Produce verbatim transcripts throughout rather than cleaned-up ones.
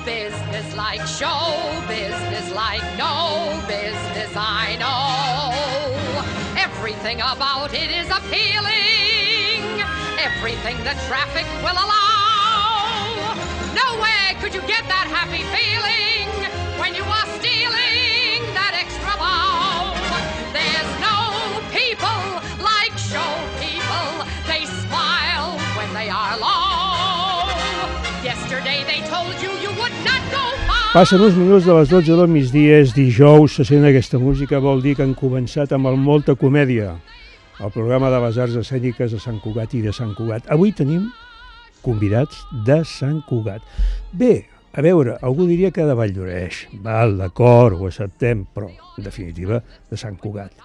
business like show business like no business I know. Everything about it is appealing, everything the traffic will allow. Nowhere could you get that happy feeling when you are stealing that extra bow. There's no people like show people, they smile when they are low. Yesterday they told you you would not go far. Passen uns minuts de les dotze del migdia, és dijous, se sent aquesta música, vol dir que han començat amb el Molta Comèdia, el programa de les arts escèniques de Sant Cugat i de Sant Cugat. Avui tenim convidats de Sant Cugat. Bé, a veure, algú diria que de Valldoreix, val, d'acord, ho acceptem, però, en definitiva, de Sant Cugat.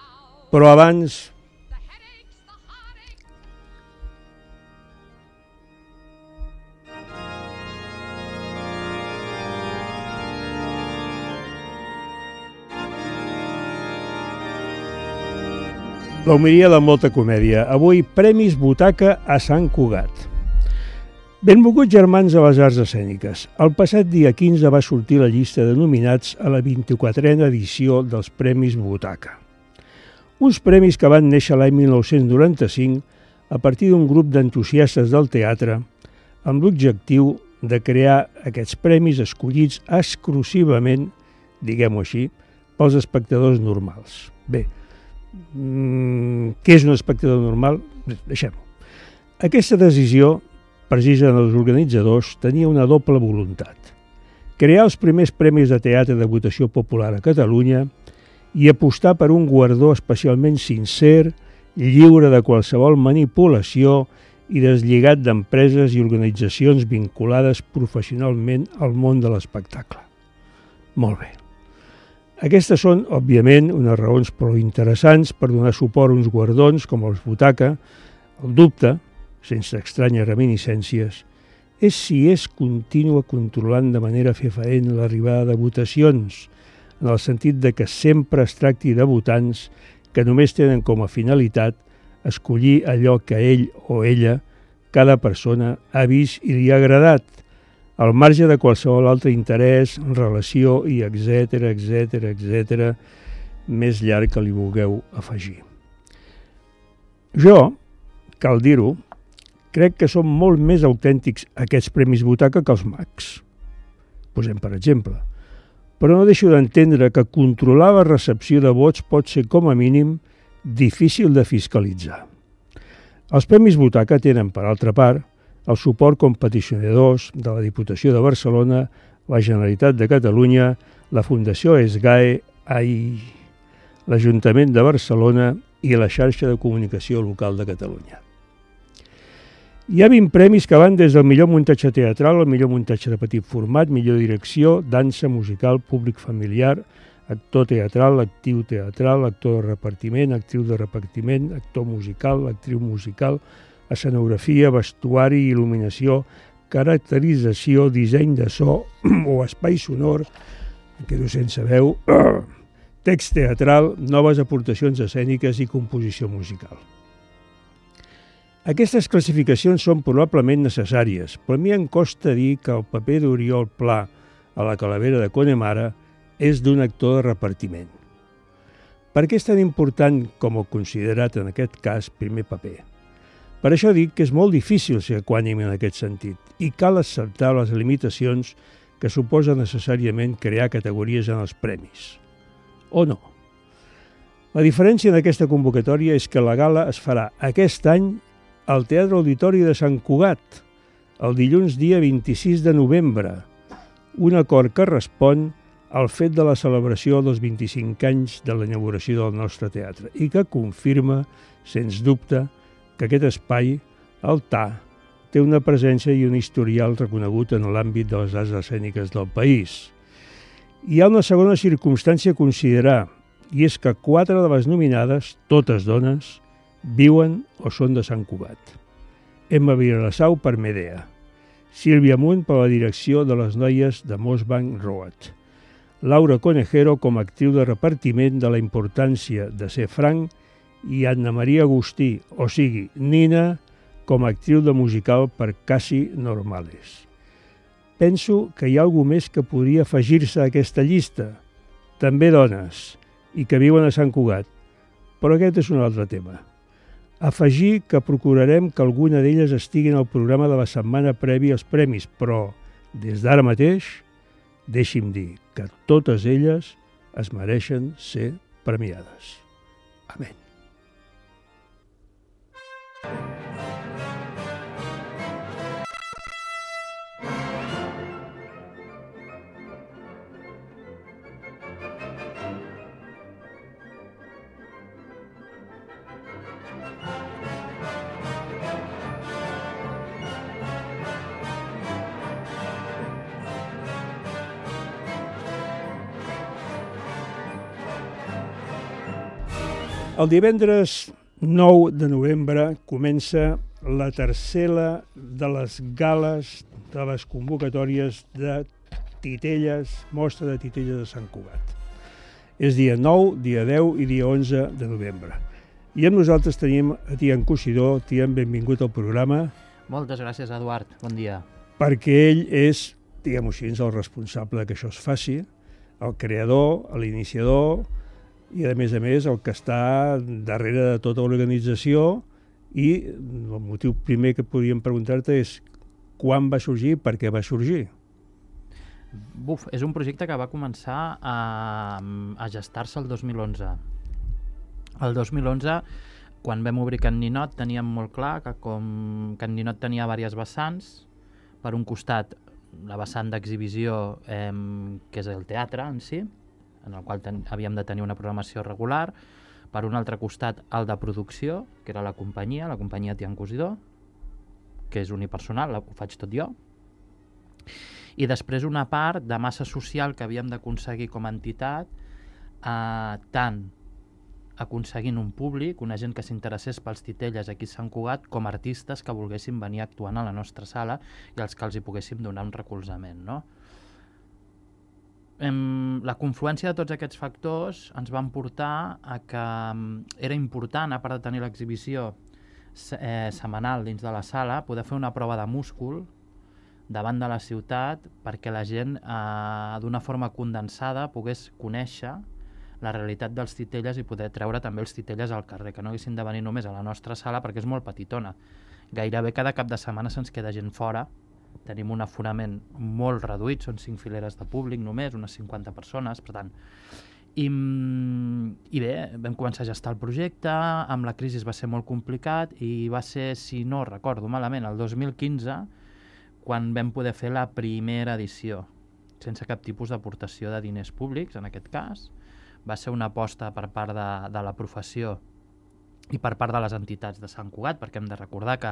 Però abans... La homilia de Molta Comèdia. Avui, Premis Butaca a Sant Cugat. Benvolguts germans a les arts escèniques. El passat dia quinze va sortir la llista de nominats a la vint-i-quatrena edició dels Premis Butaca. Uns premis que van néixer l'any mil nou-cents noranta-cinc a partir d'un grup d'entusiastes del teatre amb l'objectiu de crear aquests premis escollits exclusivament, diguem-ho així, pels espectadors normals. Bé, què és un espectador normal? Deixem-ho. Aquesta decisió, precisa dels organitzadors, tenia una doble voluntat. Crear els primers premis de teatre de votació popular a Catalunya i apostar per un guardó especialment sincer, lliure de qualsevol manipulació i deslligat d'empreses i organitzacions vinculades professionalment al món de l'espectacle. Molt bé. Aquestes són, òbviament, unes raons prou interessants per donar suport a uns guardons com els Butaca. El dubte, sense estranyes reminiscències, és si és contínua controlant de manera fefaent l'arribada de votacions, en el sentit de que sempre es tracti de votants que només tenen com a finalitat escollir allò que ell o ella, cada persona, ha vist i li ha agradat, al marge de qualsevol altre interès, relació i etcètera, etcètera, etcètera, més llarg que li vulgueu afegir. Jo, cal dir-ho, crec que són molt més autèntics aquests Premis Butaca que els Mags. Posem per exemple. Però no deixo d'entendre que controlar la recepció de vots pot ser, com a mínim, difícil de fiscalitzar. Els Premis Butaca tenen, per altra part, el suport com peticionadors de la Diputació de Barcelona, la Generalitat de Catalunya, la Fundació ESGAE, ai, l'Ajuntament de Barcelona i la xarxa de comunicació local de Catalunya. Hi ha vint premis que van des del millor muntatge teatral al millor muntatge de petit format, millor direcció, dansa, musical, públic familiar, actor teatral, actiu teatral, actor de repartiment, actriu de repartiment, actor musical, actriu musical, escenografia, vestuari, il·luminació, caracterització, disseny de so o espai sonor, em quedo sense veu, text teatral, noves aportacions escèniques i composició musical. Aquestes classificacions són probablement necessàries, però a mi em costa dir que el paper d'Oriol Pla a la Calavera de Connemara és d'un actor de repartiment. Per què és tan important com el considerat en aquest cas primer paper? Per això dic que és molt difícil ser equànime en aquest sentit i cal acceptar les limitacions que suposa necessàriament crear categories en els premis. O no? La diferència en aquesta convocatòria és que la gala es farà aquest any al Teatre Auditori de Sant Cugat, el dilluns dia vint-i-sis de novembre, un acord que respon al fet de la celebració dels vint-i-cinc anys de la inauguració del nostre teatre i que confirma, sens dubte, que aquest espai, el T A, té una presència i un historial reconegut en l'àmbit de les arts escèniques del país. Hi ha una segona circumstància a considerar, i és que quatre de les nominades, totes dones, viuen o són de Sant Cugat. Emma Vilassau per Medea, Sílvia Munt per la direcció de les noies de Mossbank Road, Laura Conejero com a actriu de repartiment de la importància de ser franc i Anna Maria Agustí, o sigui, Nina, com a actriu de musical per Casi Normales. penso que hi ha algú més que podria afegir-se a aquesta llista. També dones, i que viuen a Sant Cugat. Però aquest és un altre tema. Afegir que procurarem que alguna d'elles estigui en el programa de la setmana prèvia als premis, però, des d'ara mateix, deixi'm dir que totes elles es mereixen ser premiades. Amén. El divendres nou de novembre comença la tercera de les gales de les convocatòries de titelles, mostra de titelles de Sant Cugat. És dia nou, dia deu i dia onze de novembre. I amb nosaltres tenim a Tian Cosidó. Tian, benvingut al programa. Moltes gràcies, Eduard. Bon dia. Perquè ell és, diguem-ho així, el responsable que això es faci, el creador, l'iniciador, i a més a més el que està darrere de tota l'organització. I el motiu primer que podríem preguntar-te és quan va sorgir i per què va sorgir. Buf, és un projecte que va començar a, a gestar-se el dos mil onze. El dos mil onze, quan vam obrir Can Ninot, teníem molt clar que com Can Ninot tenia diverses vessants, per un costat la vessant d'exhibició, eh, que és el teatre en si, en el qual ten, havíem de tenir una programació regular, per un altre costat el de producció, que era la companyia, la companyia Tian Cosidó, que és unipersonal, ho faig tot jo, i després una part de massa social que havíem d'aconseguir com a entitat, eh, tant aconseguint un públic, una gent que s'interessés pels titelles aquí a Sant Cugat, com artistes que volguessin venir actuant a la nostra sala i als que els hi poguéssim donar un recolzament, no? La confluència de tots aquests factors ens van portar a que era important, a part de tenir l'exhibició eh, setmanal dins de la sala, poder fer una prova de múscul davant de la ciutat perquè la gent eh, d'una forma condensada pogués conèixer la realitat dels titelles i poder treure també els titelles al carrer, que no haguessin de venir només a la nostra sala perquè és molt petitona. Gairebé cada cap de setmana se'ns queda gent fora. Tenim un aforament molt reduït, són cinc fileres de públic només, unes cinquanta persones, per tant. I, i bé, vam començar a gestar el projecte, amb la crisi va ser molt complicat i va ser, si no recordo malament, el dos mil quinze, quan vam poder fer la primera edició, sense cap tipus d'aportació de diners públics, en aquest cas. Va ser una aposta per part de, de la professió i per part de les entitats de Sant Cugat, perquè hem de recordar que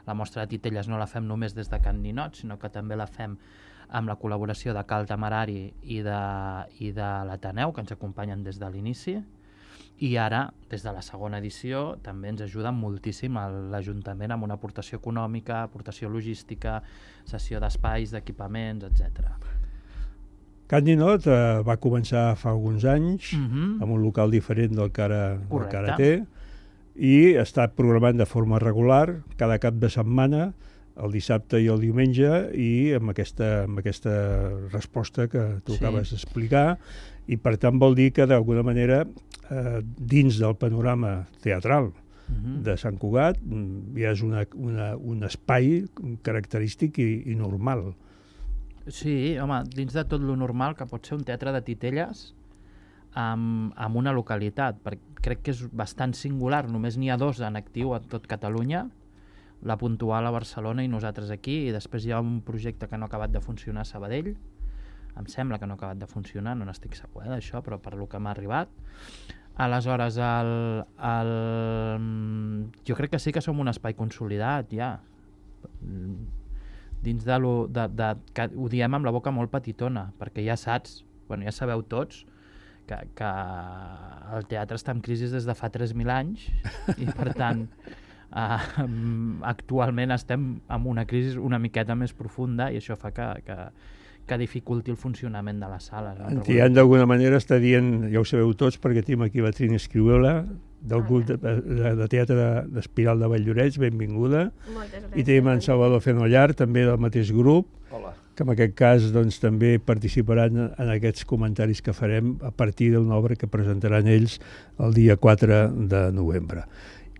la mostra de titelles no la fem només des de Can Ninot, sinó que també la fem amb la col·laboració de Cal Temerari i de, i de l'Ateneu, que ens acompanyen des de l'inici, i ara, des de la segona edició, també ens ajuda moltíssim l'Ajuntament amb una aportació econòmica, aportació logística, cessió d'espais, d'equipaments, etcètera. Can Ninot eh, va començar fa alguns anys, Uh-huh. amb un local diferent del que ara, del que ara Correcte. té, i està programant de forma regular cada cap de setmana, el dissabte i el diumenge, i amb aquesta, amb aquesta resposta que tu Sí. acabes d'explicar, i per tant vol dir que d'alguna manera eh, dins del panorama teatral Uh-huh. de Sant Cugat ja és una, una, un espai característic i, i normal. Sí, home, dins de tot lo normal que pot ser un teatre de titelles amb, amb una localitat, perquè crec que és bastant singular, només n'hi ha dos en actiu a tot Catalunya, la Puntual a Barcelona i nosaltres aquí, i després hi ha un projecte que no ha acabat de funcionar a Sabadell, em sembla que no ha acabat de funcionar, no n'estic segur eh, d'això, però per lo que m'ha arribat. Aleshores, el, el, jo crec que sí que som un espai consolidat, ja. Dins de lo... De, de, que ho diem amb la boca molt petitona, perquè ja saps, bueno, ja sabeu tots, que, que el teatre està en crisi des de fa tres mil anys i, per tant, eh, actualment estem en una crisi una miqueta més profunda i això fa que, que, que dificulti el funcionament de la sala. No? Tian, d'alguna manera, està dient, ja ho sabeu tots, perquè tenim aquí la Trini Escriuela, del grup de, de, de teatre d'Espiral de Valldoreix, benvinguda. Moltes gràcies. I tenim en Salvador Fenollar, també del mateix grup. Hola. que en aquest cas doncs, també participaran en aquests comentaris que farem a partir d'una obra que presentaran ells el dia quatre de novembre.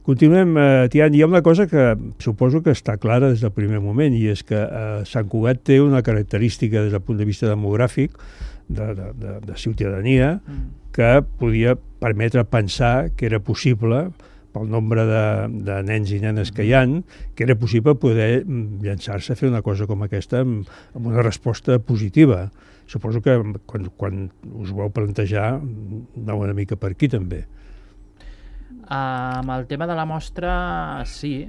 Continuem, eh, Tian, hi ha una cosa que suposo que està clara des del primer moment, i és que eh, Sant Cugat té una característica des del punt de vista demogràfic, de, de, de, de ciutadania, mm. que podia permetre pensar que era possible, pel nombre de, de nens i nenes que hi ha, que era possible poder llançar-se a fer una cosa com aquesta amb, amb una resposta positiva. Suposo que quan, quan us ho vau plantejar aneu una mica per aquí també. Uh, amb el tema de la mostra, sí,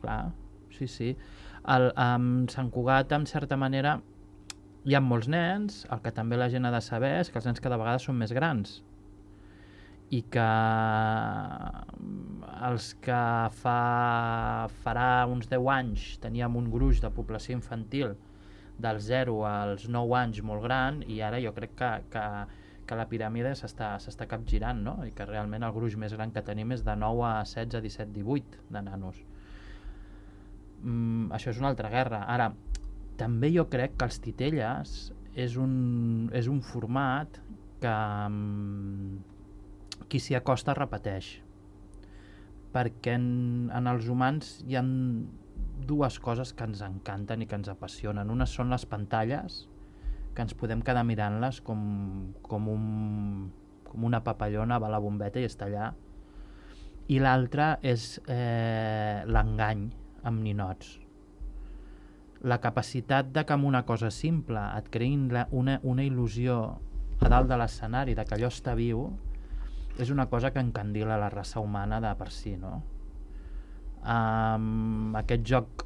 clar, sí, sí. El, amb Sant Cugat, en certa manera, hi ha molts nens, el que també la gent ha de saber és que els nens cada vegada són més grans i que els que fa, farà uns deu anys teníem un gruix de població infantil dels zero als nou anys molt gran, i ara jo crec que, que que la piràmide s'està s'està capgirant, no? I que realment el gruix més gran que tenim és de nou a setze, disset, divuit de nanos. Mm, això és una altra guerra. Ara, també jo crec que els titelles és un, és un format que um, qui s'hi acosta repeteix. Perquè en, en els humans hi ha dues coses que ens encanten i que ens apassionen. Una són les pantalles, que ens podem quedar mirant-les com, com, un, com una papallona, va a la bombeta i està allà. I l'altra és eh, l'engany amb ninots. La capacitat de que amb una cosa simple et creïn la, una, una il·lusió a dalt de l'escenari, de que allò està viu, és una cosa que encandila la raça humana de per si, no? Um, aquest joc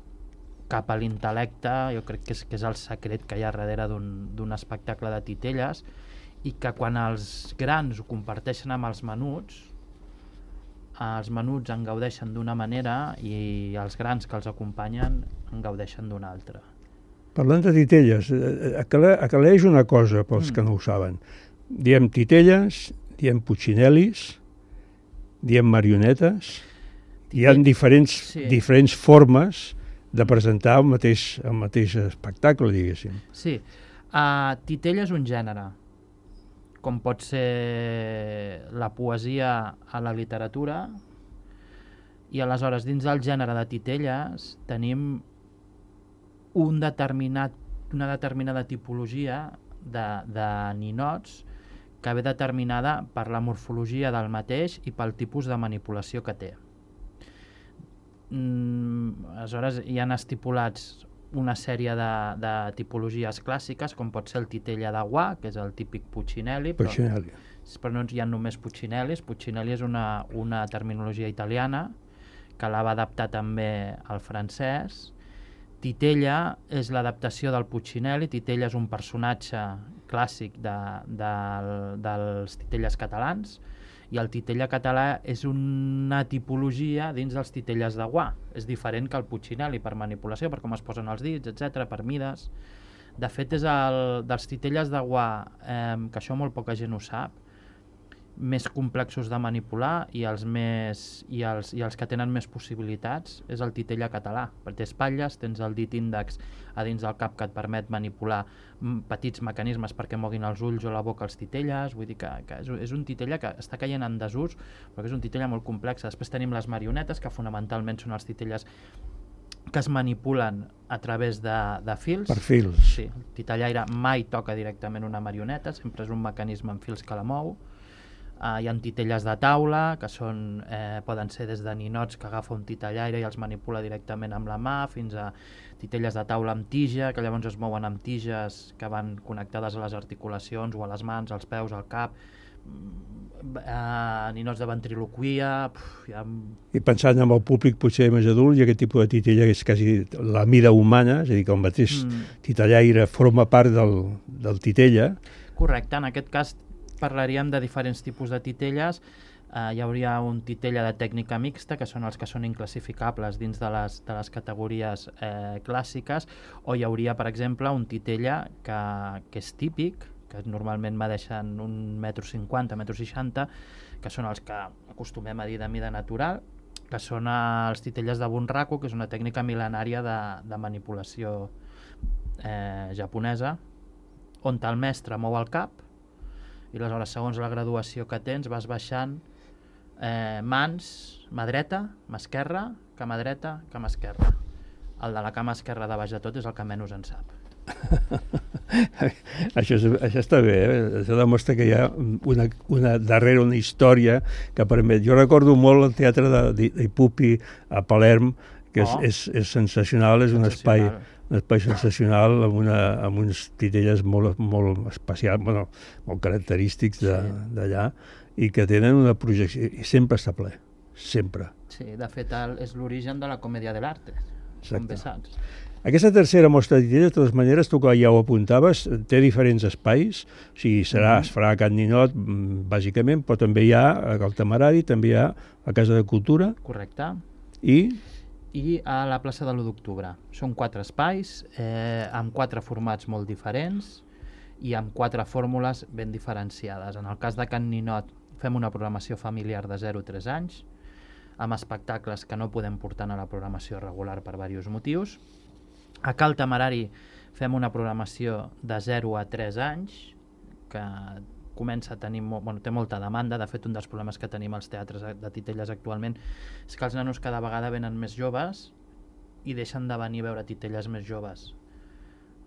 cap a l'intel·lecte, jo crec que és, que és el secret que hi ha darrere d'un espectacle de titelles, i que quan els grans ho comparteixen amb els menuts, els menuts en gaudeixen d'una manera i els grans que els acompanyen en gaudeixen d'una altra. Parlant de titelles, aclareix una cosa pels mm. que no ho saben. Diem titelles, diem putxinel·lis, diem marionetes, hi ha diferents, sí. diferents formes de presentar el mateix, el mateix espectacle, diguéssim. Sí. Uh, titella és un gènere, com pot ser la poesia a la literatura, i aleshores dins del gènere de titelles tenim un determinat, una determinada tipologia de, de ninots que ve determinada per la morfologia del mateix i pel tipus de manipulació que té. Mm, aleshores hi han estipulats una sèrie de, de tipologies clàssiques, com pot ser el titella de guà, que és el típic Puccinelli, però, però no hi ha només Puccinellis. Puccinelli és una, una terminologia italiana que la va adaptar també al francès. Titella és l'adaptació del Puccinelli. Titella és un personatge clàssic de, de, dels titelles catalans, i el titella català és una tipologia dins dels titelles de guà. És diferent que el Puccinelli per manipulació, per com es posen els dits, etcètera, per mides. De fet, és el dels titelles de guà, eh, que això molt poca gent ho sap, més complexos de manipular, i els, més, i els, i els que tenen més possibilitats és el titella català, perquè té espatlles, tens el dit índex a dins del cap que et permet manipular petits mecanismes perquè moguin els ulls o la boca als titelles. Vull dir que, que és, és un titella que està caient en desús, però que és un titella molt complex. Després tenim les marionetes, que fonamentalment són els titelles que es manipulen a través de, de fils. Per fils. Sí, el titellaire mai toca directament una marioneta, sempre és un mecanisme en fils que la mou. Uh, hi ha titelles de taula, que són, eh, poden ser des de ninots que agafa un titellaire i els manipula directament amb la mà, fins a titelles de taula amb tija, que llavors es mouen amb tiges que van connectades a les articulacions o a les mans, als peus, al cap. Uh, ninots de ventriloquia... Puf, ha... I pensant en el públic potser més adult, i aquest tipus de titella és quasi la mida humana, és a dir, que el mateix mm. titellaire forma part del, del titella. Correcte, en aquest cas parlaríem de diferents tipus de titelles. Uh, hi hauria un titella de tècnica mixta, que són els que són inclassificables dins de les, de les categories eh, clàssiques, o hi hauria, per exemple, un titella que, que és típic, que normalment medeixen un metro cinquanta, metro seixanta, que són els que acostumem a dir de mida natural, que són els titelles de bunraku, que és una tècnica mil·lenària de, de manipulació eh, japonesa, on el mestre mou el cap i aleshores, segons la graduació que tens, vas baixant eh, mans, mà dreta, mà esquerra, cama dreta, cama esquerra. El de la cama esquerra de baix de tot és el que menys en sap. això, és, això està bé, eh? Això demostra que hi ha una, una, darrere una història que permet... Jo recordo molt el teatre d'Ipupi a Palerm, que és, oh. és, és sensacional, és un espai, un espai sensacional amb, una, amb uns titelles molt, molt especials, bueno, molt característics d'allà, sí. I que tenen una projecció, i sempre està ple, sempre. Sí, de fet el, és l'origen de la comèdia de l'arte, com bé saps. Aquesta tercera mostra de titelles, de totes maneres, tu que ja ho apuntaves, té diferents espais, o sigui, serà, mm-hmm. es farà a Can Ninot, bàsicament, però també hi ha al Temerari, també hi ha a Casa de Cultura. Correcte. I... I a la plaça de l'u d'octubre. Són quatre espais, eh, amb quatre formats molt diferents i amb quatre fórmules ben diferenciades. En el cas de Can Ninot fem una programació familiar de zero a tres anys, amb espectacles que no podem portar a la programació regular per diversos motius. A Cal Temerari fem una programació de zero a tres anys, que comença a tenir, bueno, té molta demanda. De fet, un dels problemes que tenim als teatres de titelles actualment és que els nanos cada vegada venen més joves i deixen de venir a veure titelles més joves.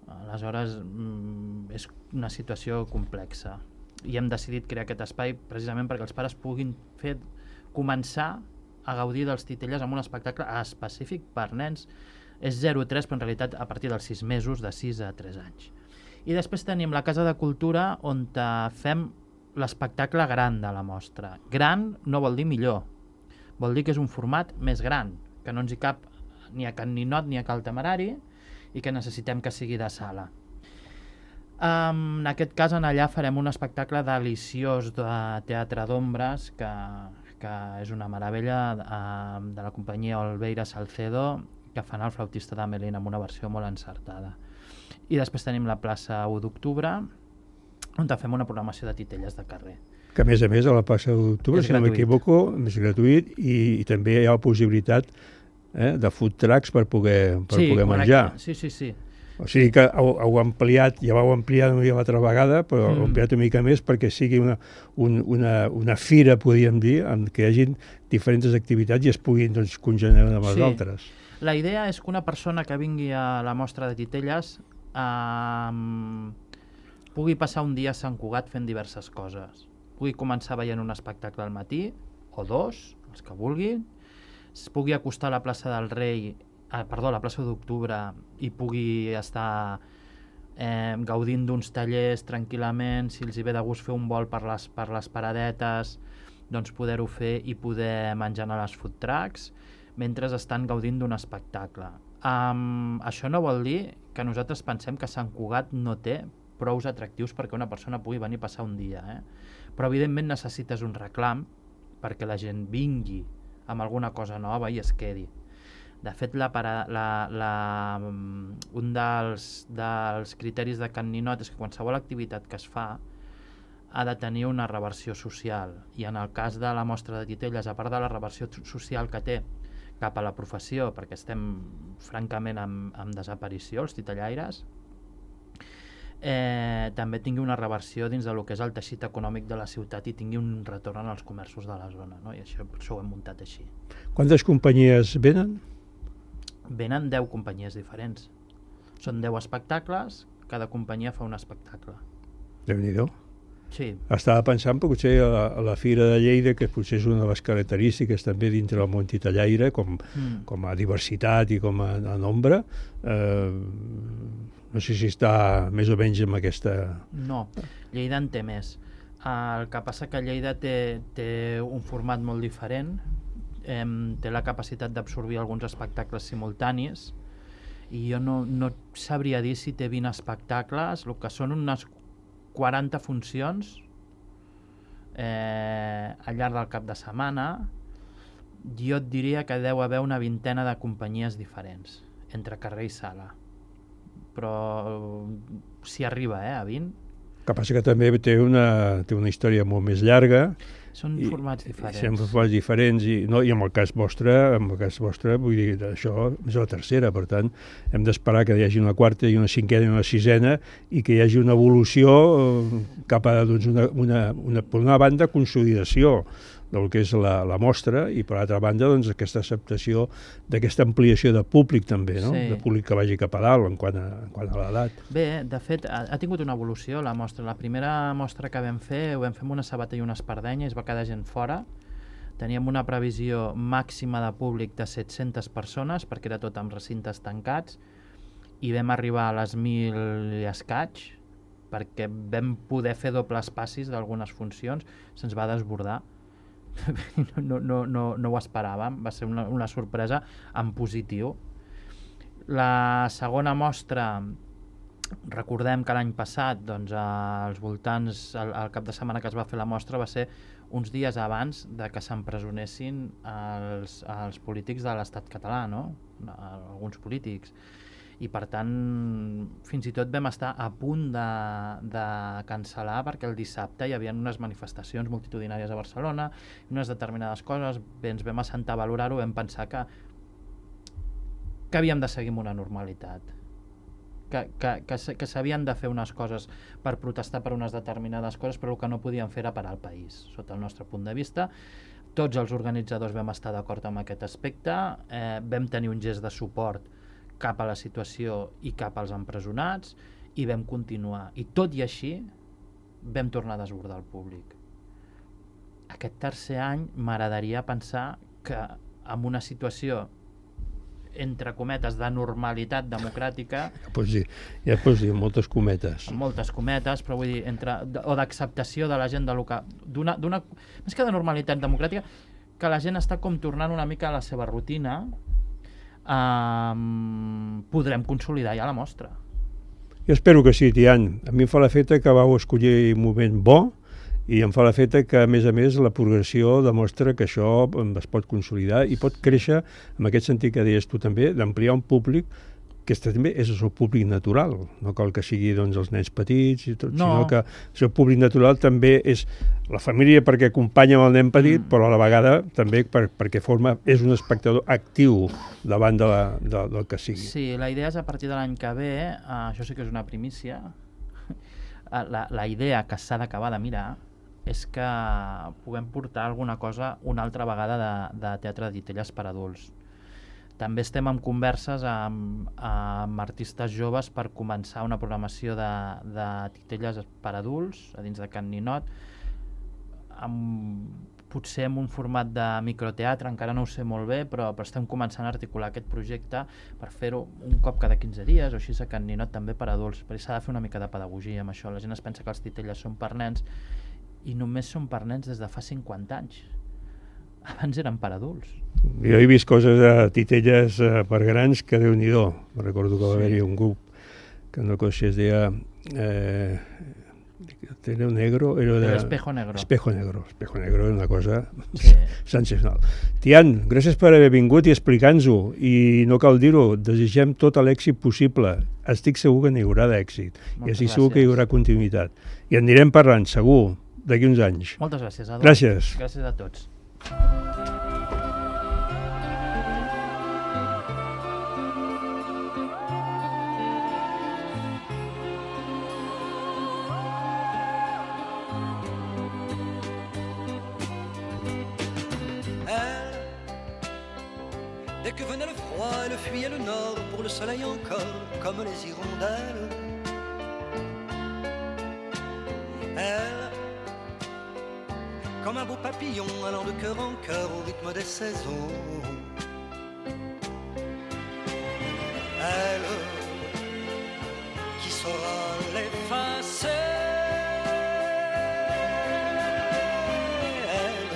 Aleshores, és una situació complexa. I hem decidit crear aquest espai precisament perquè els pares puguin fer, començar a gaudir dels titelles amb un espectacle específic per nens. És zero a tres, però en realitat a partir dels sis mesos, de sis a tres anys. I després tenim la Casa de Cultura, on fem l'espectacle gran de la mostra. Gran no vol dir millor, vol dir que és un format més gran, que no ens hi cap ni a Can Ninot ni a Cal Temerari i que necessitem que sigui de sala. Um, en aquest cas, en allà farem un espectacle deliciós de teatre d'ombres, que, que és una meravella, uh, de la companyia Olveira Salcedo, que fan el flautista d'Amelín amb una versió molt encertada. I després tenim la plaça u d'octubre, on fem una programació de titelles de carrer. Que a més a més a la plaça u d'octubre, si no m'equivoco, és gratuït i, i també hi ha la possibilitat eh, de food trucks per poder, per sí, poder menjar. Sí, sí, sí. O sigui que heu, heu ampliat, ja vau ampliar l'altra vegada, però mm. heu ampliat una mica més perquè sigui una, un, una, una fira, podríem dir, en què hi hagi diferents activitats i es puguin doncs, congelar amb les sí. altres. La idea és que una persona que vingui a la mostra de titelles eh, pugui passar un dia a Sant Cugat fent diverses coses. Pugui començar veient un espectacle al matí, o dos, els que vulguin, es pugui acostar a la plaça del Rei, eh, perdó, a la plaça d'Octubre, i pugui estar eh, gaudint d'uns tallers tranquil·lament, si els hi ve de gust fer un vol per les, per les paradetes, doncs poder-ho fer i poder menjar a les food trucks, mentre estan gaudint d'un espectacle. Um, això no vol dir que nosaltres pensem que Sant Cugat no té prous atractius perquè una persona pugui venir a passar un dia, eh? Però evidentment necessites un reclam perquè la gent vingui amb alguna cosa nova i es quedi. De fet, la, la, la, un dels, dels criteris de Can Ninot és que qualsevol activitat que es fa ha de tenir una reversió social, i en el cas de la mostra de titelles, a part de la reversió social que té cap a la professió, perquè estem francament en, en desaparició, els titellaires, eh, també tingui una reversió dins de lo que és el teixit econòmic de la ciutat i tingui un retorn als comerços de la zona, no? I això, això ho hem muntat així. Quantes companyies venen? Venen deu companyies diferents. Són deu espectacles, cada companyia fa un espectacle. Déu-n'hi-do. Sí. Estava pensant potser a la, a la Fira de Lleida, que potser és una de les característiques també dintre del món titellaire, com, mm. com a diversitat i com a, a nombre. Eh, no sé si està més o menys amb aquesta... No, Lleida en té més. El que passa que Lleida té, té un format molt diferent, eh, té la capacitat d'absorbir alguns espectacles simultanis, i jo no, no sabria dir si té vint espectacles, el que són unes quaranta funcions eh, al llarg del cap de setmana. Jo et diria que deu haver una vintena de companyies diferents entre carrer i sala, però si arriba eh, a vint. que passa que també té una, té una història molt més llarga. Són I, formats diferents. Són formats diferents i, no, i en el cas vostre, en el cas vostre, vull dir, això és la tercera, per tant, hem d'esperar que hi hagi una quarta i una cinquena i una sisena i que hi hagi una evolució cap a, doncs, una, una, una, per una banda, consolidació del que és la, la mostra i, per altra banda, doncs, aquesta acceptació d'aquesta ampliació de públic també, no? Sí. De públic que vagi cap a dalt en quant a, en quant a l'edat. Bé, de fet, ha, ha tingut una evolució la mostra. La primera mostra que vam fer, ho vam fer amb una sabata i una espardenya, es va quedar gent fora. Teníem una previsió màxima de públic de set-centes persones, perquè era tot amb recintes tancats, i vam arribar a les mil i escaig, perquè vam poder fer dobles passis d'algunes funcions, se'ns va desbordar. No, no, no, no ho esperàvem, va ser una, una sorpresa en positiu. La segona mostra, recordem que l'any passat, doncs, als voltants, el, el cap de setmana que es va fer la mostra va ser uns dies abans de que s'empresonessin els, els polítics de l'estat català, no? Alguns polítics. I per tant, fins i tot vam estar a punt de, de cancel·lar perquè el dissabte hi havia unes manifestacions multitudinàries a Barcelona, unes determinades coses, bé, ens vam assentar a valorar-ho, vam pensar que, que havíem de seguir amb una normalitat, que, que, que, que s'havien de fer unes coses per protestar per unes determinades coses, però el que no podien fer era parar el país, sota el nostre punt de vista. Tots els organitzadors vam estar d'acord amb aquest aspecte, eh, vam tenir un gest de suport cap a la situació i cap als empresonats i vam continuar. I tot i així vam tornar a desbordar el públic. Aquest tercer any m'agradaria pensar que en una situació entre cometes de normalitat democràtica, ja pots dir, ja pots dir moltes cometes, amb moltes cometes, però vull dir, entre, o d'acceptació de la gent de local, d'una, d'una, més que de normalitat democràtica, que la gent està com tornant una mica a la seva rutina, Um, podrem consolidar ja la mostra. Jo espero que sí, Tian. A mi em fa l'efecte que vau escollir un moment bo i em fa l'efecte que, a més a més, la progressió demostra que això es pot consolidar i pot créixer, en aquest sentit que deies tu també, d'ampliar un públic que també és el seu públic natural, no cal que sigui, doncs, els nens petits i tot, no. Sinó que el seu públic natural també és la família perquè acompanya el nen petit, mm. però a la vegada també per, perquè forma, és un espectador actiu davant de la, de, del que sigui. Sí, la idea és a partir de l'any que ve, uh, això sí que és una primícia, la, la idea que s'ha d'acabar de mirar és que puguem portar alguna cosa una altra vegada de, de teatre de titelles per adults. També estem en converses amb, amb artistes joves per començar una programació de, de titelles per adults a dins de Can Ninot, amb, potser en un format de microteatre, encara no ho sé molt bé, però, però estem començant a articular aquest projecte per fer-ho un cop cada quinze dies o així a Can Ninot també per adults, perquè s'ha de fer una mica de pedagogia amb això. La gent es pensa que els titelles són per nens i només són per nens des de fa cinquanta anys. Abans eren per adults. Jo he vist coses de titelles eh, per grans que Déu-n'hi-do. Recordo que va Sí. haver-hi un grup que no cosa es deia eh, Teneu Negro, era de... Espejo Negro. Espejo Negro. Espejo Negro era una cosa Sí. sensacional. Tian, gràcies per haver vingut i explicar-nos-ho. I no cal dir-ho, desitgem tot l'èxit possible. Estic segur que n'hi haurà d'èxit. I Moltes estic segur que hi gràcies. haurà continuïtat. I en anirem parlant, segur, d'aquí uns anys. Moltes gràcies, Adolf. Gràcies. Gràcies a tots. Dès que venait le froid, elle fuyait le nord pour le soleil encore, comme les hirondelles. Elle, comme un beau papillon allant de cœur en cœur au rythme des saisons. Elle, qui saura l'effacer. Elle,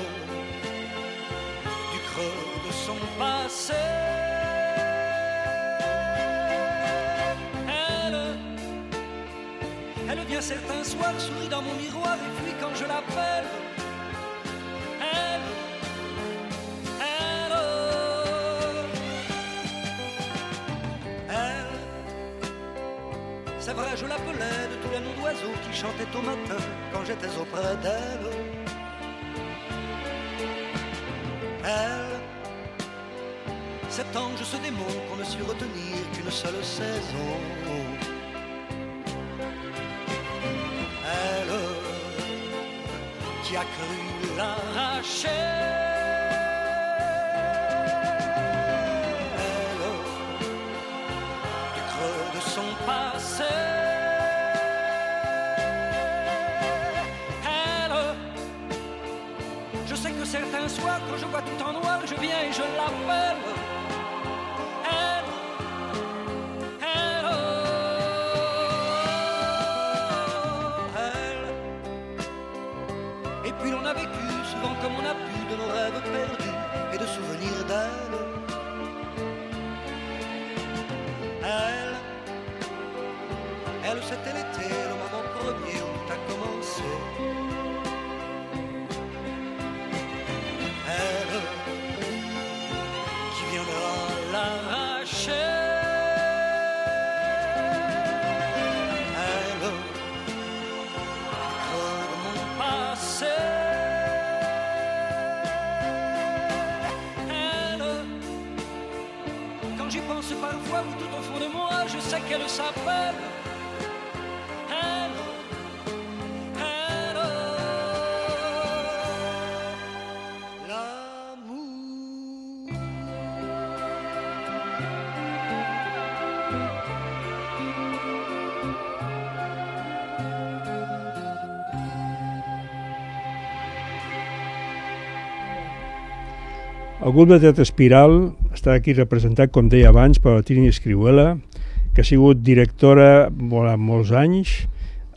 du creux de son passé. Elle, elle vient certains soirs, sourit dans mon miroir et puis quand je l'appelle, elle, elle, elle, c'est vrai je l'appelais de tous les noms oiseaux qui chantaient au matin quand j'étais auprès d'elle. Elle, cet ange, ce démon qu'on ne sut retenir qu'une seule saison. Elle, qui a cru l'arracher. Elle, du creux de son passé. Certains soirs, quand je vois tout en noir, je viens et je l'appelle. Elle, elle, elle. Et puis l'on a vécu souvent comme on a pu de nos rêves perdus et de souvenirs d'elle. Elle, elle, c'était l'été, le moment premier où tout a commencé. Parfois, oui, tout au fond de moi, je sais qu'elle s'appelle. Elle, elle, l'amour. El grup de teatre Espiral està aquí representat, com deia abans, per la Trini Escrihuela, que ha sigut directora durant molts anys,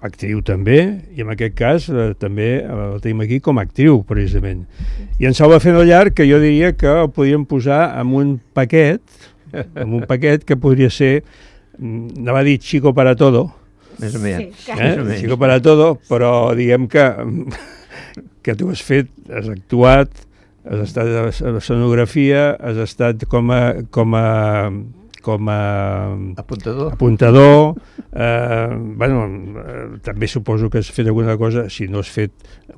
actriu també, i en aquest cas eh, també la tenim aquí com a actriu, precisament. I en Salva Fenollar, que jo diria que el podríem posar en un paquet, en un paquet que podria ser, anava a dir Chico para todo, més o menys. Sí, eh? Chico para todo, però diguem que, que tu has fet, has actuat, has estat a l'escenografia, has estat com a, com a, com a apuntador, apuntador eh, bueno, eh, també suposo que has fet alguna cosa, si no has fet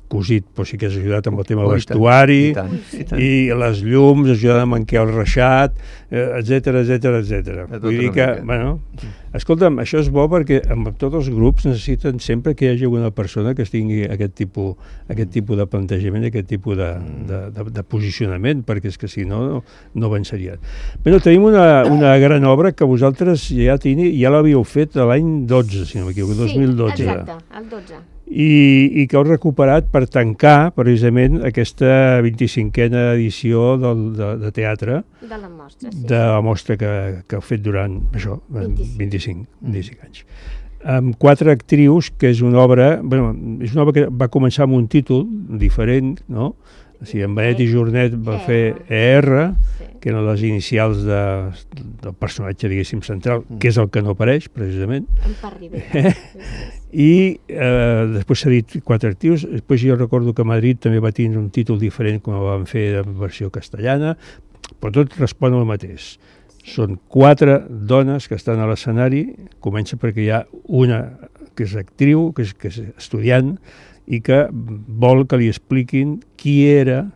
cosit, però sí que has ajudat amb el tema del vestuari, i, tant, i, tant. i les llums, has ajudat amb en Quel Reixat, etcètera, etcètera, etcètera. Vull dir que, bueno, escolta'm, això és bo perquè amb tots els grups necessiten sempre que hi hagi una persona que tingui aquest tipus, aquest tipus de plantejament, aquest tipus de, de, de, de posicionament, perquè és que si no, no, no avançarien. Bé, tenim una, una gran obra que vosaltres ja, tini, ja l'havíeu fet l'any dotze, si no m'equivoco, dos mil dotze. Sí, exacte, el dotze. I, i que heu recuperat per tancar precisament aquesta vint-i-cinquena edició del, de, de teatre de la mostra, sí, de la mostra que, que heu fet durant això, vint-i-cinc. vint-i-cinc, vint-i-cinc anys. Amb quatre actrius, que és una obra, bueno, és una obra que va començar amb un títol diferent, no? O sigui, en Benet i Jornet va fer E R, que eren les inicials de, del personatge, diguéssim, central, que és el que no apareix, precisament. En Parribera. I eh, després s'ha dit quatre actius, després jo recordo que Madrid també va tenir un títol diferent com el van fer en versió castellana, però tot respon al mateix. Són quatre dones que estan a l'escenari, comença perquè hi ha una que és actriu, que és, que és estudiant, i que vol que li expliquin qui era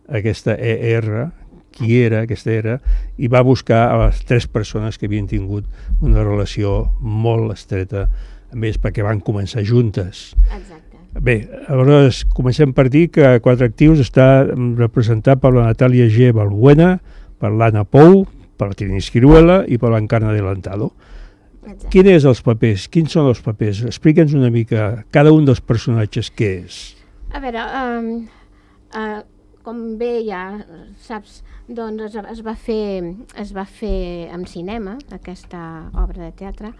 aquesta E R, qui era aquesta E R, i va buscar a les tres persones que havien tingut una relació molt estreta amb ells perquè van començar juntes. Exacte. Bé, aleshores comencem per dir que Quatre Actius està representat per la Natàlia G. Balbuena, per l'Anna Pou, per la Trini Escrihuela i per l'Encarna Adelantado. Exacte. Quins són els papers? Quins són els papers? Explica'ns una mica cada un dels personatges què és. A veure, um, uh, com bé ja saps, doncs es, es, va fer, es va fer en cinema, aquesta obra de teatre,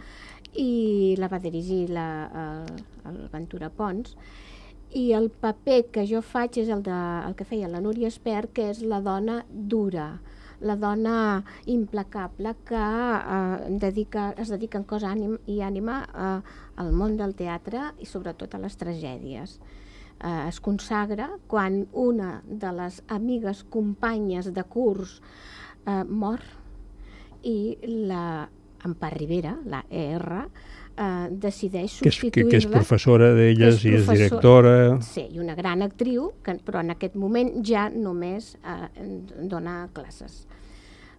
i la va dirigir la, el, el Ventura Pons, i el paper que jo faig és el, de, el que feia la Núria Espert, que és la dona dura, la dona implacable que eh, dedica, es dedica en cos ànim, i ànima eh, al món del teatre i sobretot a les tragèdies. Eh, es consagra quan una de les amigues companyes de curs eh, mor i la Empar Ribera, la E R, eh, decideix Que és, que, substituir-la. que és professora d'elles i és professor- directora. Sí, i una gran actriu, que, però en aquest moment ja només eh, dona classes.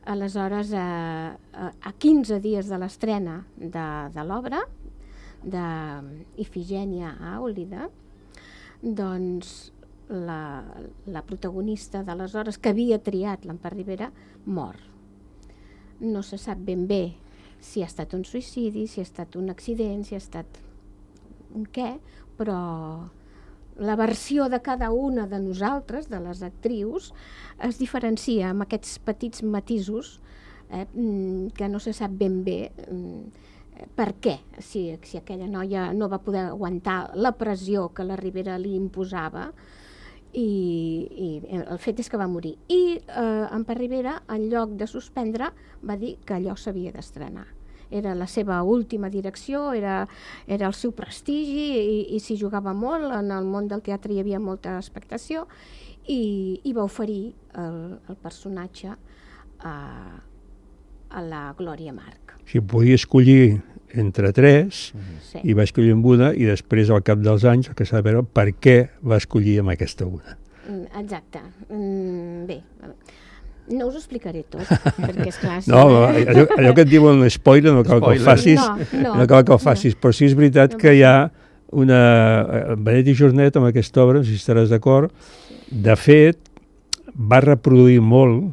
Aleshores, eh, a quinze dies de l'estrena de, de l'obra, d'Ifigènia a Àulida, doncs la, la protagonista d'aleshores, que havia triat l'Empar Rivera, mor. No se sap ben bé si ha estat un suïcidi, si ha estat un accident, si ha estat un què, però la versió de cada una de nosaltres, de les actrius, es diferencia amb aquests petits matisos eh, que no se sap ben bé per què, si, si aquella noia no va poder aguantar la pressió que la Rivera li imposava, i, i el fet és que va morir. I eh, Empar Rivera, en lloc de suspendre, va dir que allò s'havia d'estrenar. Era la seva última direcció, era, era el seu prestigi, i, i s'hi jugava molt, en el món del teatre hi havia molta expectació, i, i va oferir el, el personatge a, a la Glòria March. Si podia escollir entre tres, Sí. i va escollir amb una, i després, al cap dels anys, el que s'ha de veure per què va escollir amb aquesta una. Mm, Exacte. Mm, Bé, no us ho explicaré tot, perquè esclar... Si No, allò, allò que et diuen un spoiler no cal que el Spoiler. facis, No, no, no cal que el facis, però sí és veritat No que hi ha una... Benet i Jornet, amb aquesta obra, no sé si estaràs d'acord, de fet, va reproduir molt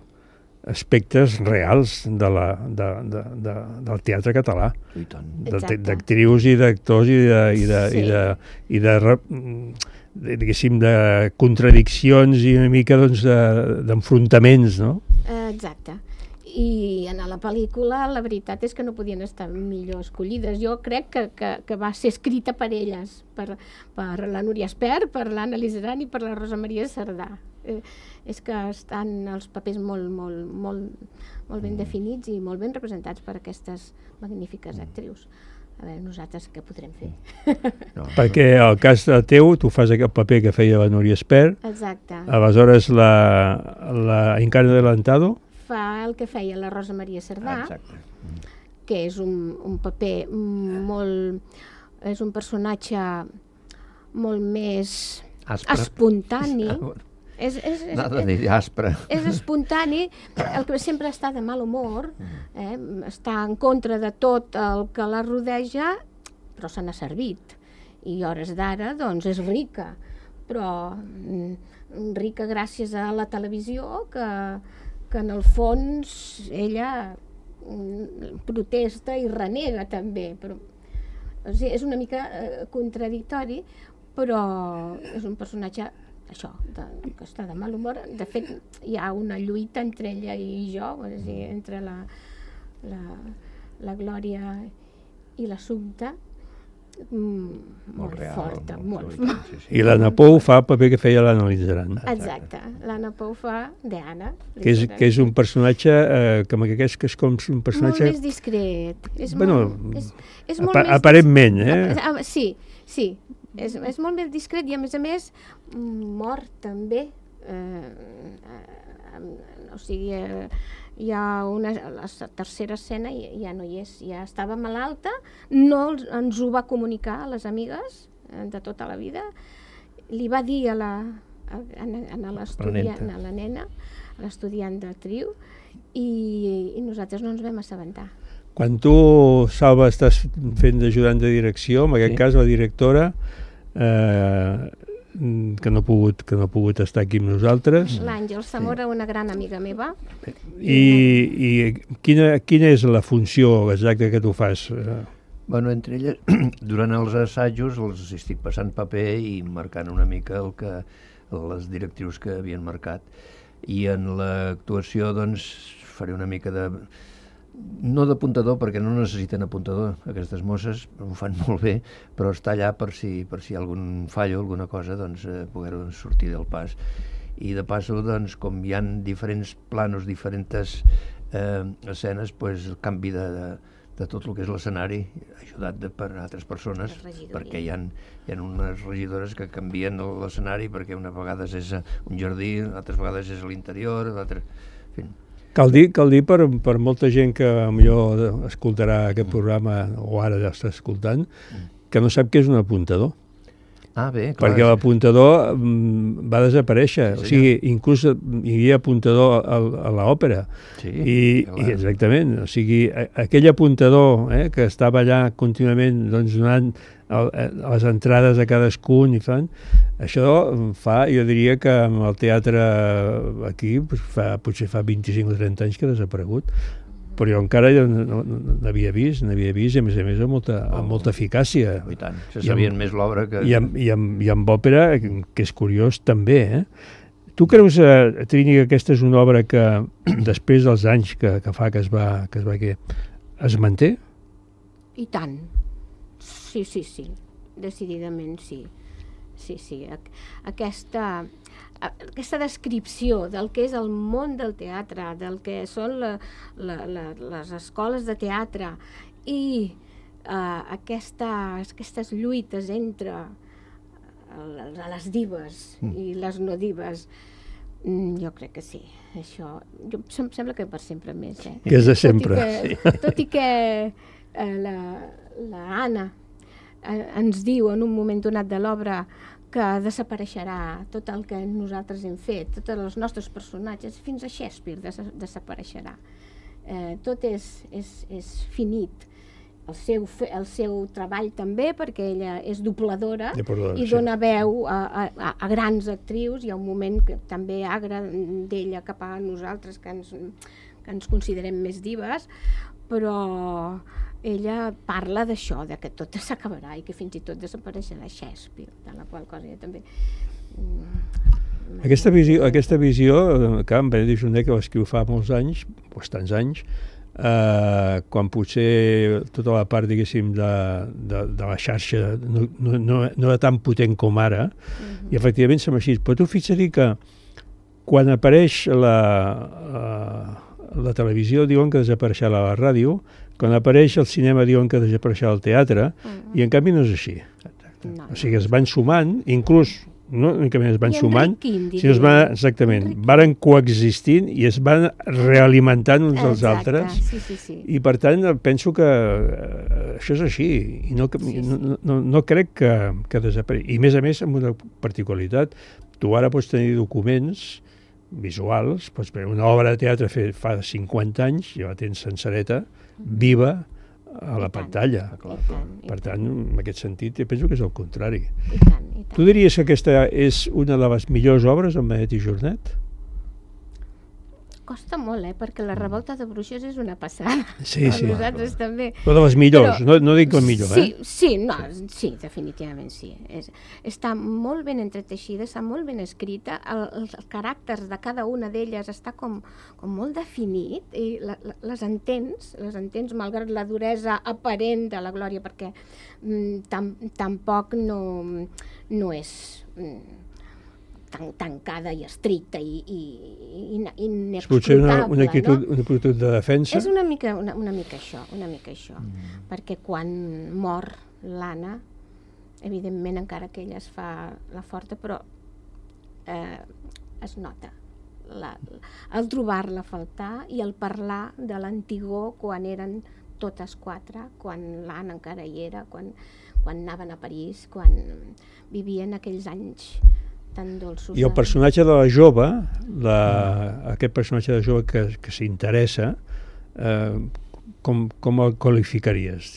aspectes reals de la, de, de, de, del teatre català, I tant. de- Exacte. d'actrius i d'actors i de, i de, Sí. i de, i de, re- de, diguéssim, de contradiccions i una mica doncs, de- d'enfrontaments, no? Eh, Exacte. I en la pel·lícula la veritat és que no podien estar millor escollides. Jo crec que, que, que va ser escrita per elles, per, per la Núria Espert, per l'Anna Lizaran i per la Rosa Maria Cerdà. Eh, és que estan els papers molt, molt, molt, molt ben definits i molt ben representats per aquestes magnífiques actrius. A veure, nosaltres què podrem fer? No. Perquè el cas de teu, tu fas aquest paper que feia la Núria Espert, Exacte. aleshores la, la Encarna Adelantado, Fa el que feia la Rosa Maria Cerdà, Exacte. que és un, un paper molt... és un personatge molt més Aspre. espontani. Ah, bueno. És, és, és, Nada de dir aspre. és espontani, el que sempre està de mal humor, eh? Està en contra de tot el que la rodeja, però se n'ha servit. I a hores d'ara, doncs, és rica, però mm, rica gràcies a la televisió, que, que en el fons ella mm, protesta i renega també. Però, o sigui, és una mica eh, contradictori, però és un personatge això, de, que està de mal humor. De fet, hi ha una lluita entre ella i jo, és a dir, entre la, la, la Glòria i l'Assumpta, mm, molt real, forta, molt, molt, molt. sí, sí. i l'Anna Pou fa el paper que feia l'Anna Lizaran, Exacte, l'Anna Pou fa d'Anna. que és, que és un personatge eh, com que és, que és com un Molt personatge... més discret. És Bueno, molt, és, és molt apa- més aparentment, eh? Ah, sí, sí. És, és molt més discret i, a més a més, mor també. Eh, eh, o sigui, eh, hi ha una, la tercera escena i ja no hi és, ja estava malalta, no els- ens ho va comunicar a les amigues eh, de tota la vida, li va dir a la, a, a, a l'estudiant, a la nena, a l'estudiant d'actriu, i, i nosaltres no ens vam assabentar. Quan tu, Salva, estàs fent d'ajudant de direcció, en aquest Sí. cas la directora, eh, que no ha pogut, que no ha pogut estar aquí amb nosaltres, L'Àngel Zamora, una gran amiga meva, i, i quina, quina és la funció exacta que tu fas? Eh, Bueno, entre elles, durant els assajos els estic passant paper i marcant una mica el que, les directrius que havien marcat. I en l'actuació, doncs, faré una mica de... no d'apuntador, perquè no necessiten apuntador, aquestes mosses ho fan molt bé, però està allà per si, per si hi ha algun fallo, alguna cosa, doncs eh, poder sortir del pas. I de passo, doncs, com hi ha diferents planos, diferents eh, escenes, doncs el canvi de, de, de tot el que és l'escenari, ajudat de, per altres persones, La regidoria. perquè hi ha, hi ha unes regidores que canvien l'escenari, perquè una vegada és un jardí, altres vegades és a l'interior, altres... En fi, Cal dir, cal dir per, per molta gent que potser escoltarà aquest programa, o ara ja està escoltant, que no sap què és un apuntador. Ah, bé, clar. Perquè l'apuntador mm, va desaparèixer. Sí, o sigui, inclús hi havia apuntador a, a l'òpera. Sí, I, clar. i exactament. O sigui, a, aquell apuntador eh, que estava allà contínuament doncs, donant el, les entrades a cadascun i fan... Això fa, jo diria que amb el teatre aquí pues, fa, potser fa vint-i-cinc o trenta anys que ha desaparegut. Però jo encara ja n'havia vist, n'havia vist, i a més a més amb molta, amb molta eficàcia. I tant, se sabien més l'obra que... I amb, i, amb, I amb òpera, que és curiós, també, eh? Tu creus, eh, Trini, que aquesta és una obra que, després dels anys que, que fa que es va, que es va que es manté? I tant. Sí, sí, sí. Decididament sí. Sí, sí. Aquesta... aquesta descripció del que és el món del teatre, del que són la, la, la, les escoles de teatre i uh, aquestes, aquestes lluites entre uh, les dives mm. i les no dives, mm, jo crec que sí. Això, jo, em sembla que per sempre més. Eh? Que és de sempre. Tot i que, tot i que uh, la, la Anna uh, ens diu en un moment donat de l'obra que desapareixerà tot el que nosaltres hem fet, tots els nostres personatges, fins a Shakespeare des desapareixerà. Eh, tot és, és, és finit. El seu, el seu treball també, perquè ella és dobladora i dona veu a, a, a grans actrius. Hi ha un moment que també agra d'ella cap a nosaltres, que ens, que ens considerem més dives, però ella parla d'això, de que tot s'acabarà i que fins i tot desapareixerà Shakespeare, de la qual cosa jo també... Aquesta visió, aquesta visió que en Benedict Sunday, que l'escriu fa molts anys, bastants anys, eh, quan potser tota la part, diguéssim, de, de, de la xarxa no, no, no, no era tan potent com ara, uh-huh. i efectivament som així. Però tu fixa't que quan apareix la, la, la televisió diuen que desapareixerà la ràdio, quan apareix el cinema diuen que desapareixerà el teatre, uh-huh. i en canvi no és així. No, o sigui, es van sumant, inclús no únicament es van sumant, sinó es van, exactament, varen coexistint i es van realimentant uns dels altres. Sí, sí, sí. I per tant penso que uh, això és així i no, sí, sí. no, no, no crec que, que desaparegui. I a més a més amb una particularitat, tu ara pots tenir documents visuals, pots veure una obra de teatre fet fa cinquanta anys, ja la tens sencereta, viva, a la pantalla. Per tant, en aquest sentit, jo penso que és el contrari. I tant, i tant. Tu diries que aquesta és una de les millors obres en Benet i Jornet? Costa molt, eh? Perquè la revolta de bruixes és una passada. Sí, sí. Nosaltres també. Però de les millors, però, no, no dic la millor, sí, eh? Sí, no, sí, definitivament sí. És, està molt ben entreteixida, està molt ben escrita, el, els caràcters de cada una d'elles està com, com molt definit i la, la, les entens, les entens malgrat la duresa aparent de la Glòria, perquè mm, tam, tampoc no, no és... Mm, tan tancada i estricta i, i, i inexplicable. Potser una, una, actitud, no? una actitud de defensa? És una mica, una, una mica això, una mica això. Mm. Perquè quan mor l'Anna, evidentment encara que ella es fa la forta, però eh, es nota la, el trobar-la a faltar i el parlar de l'antigor quan eren totes quatre, quan l'Anna encara hi era, quan, quan anaven a París, quan vivien aquells anys tan dolços. I el personatge de la jove, la, aquest personatge de jove que, que s'interessa, eh, com, com el qualificaries?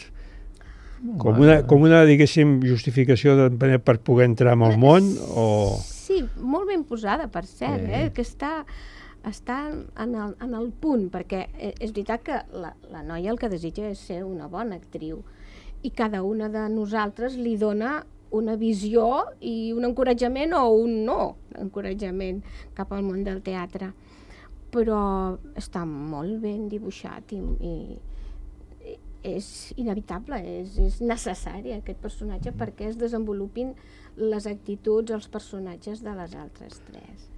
Com una, com una, diguéssim, justificació de, per poder entrar en el món? O... Sí, molt ben posada, per cert, eh? que està, està en, el, en el punt, perquè és veritat que la, la noia el que desitja és ser una bona actriu, i cada una de nosaltres li dona una visió i un encoratjament o un no encoratjament cap al món del teatre, però està molt ben dibuixat i, i és inevitable, és, és necessari aquest personatge perquè es desenvolupin les actituds, els personatges de les altres tres.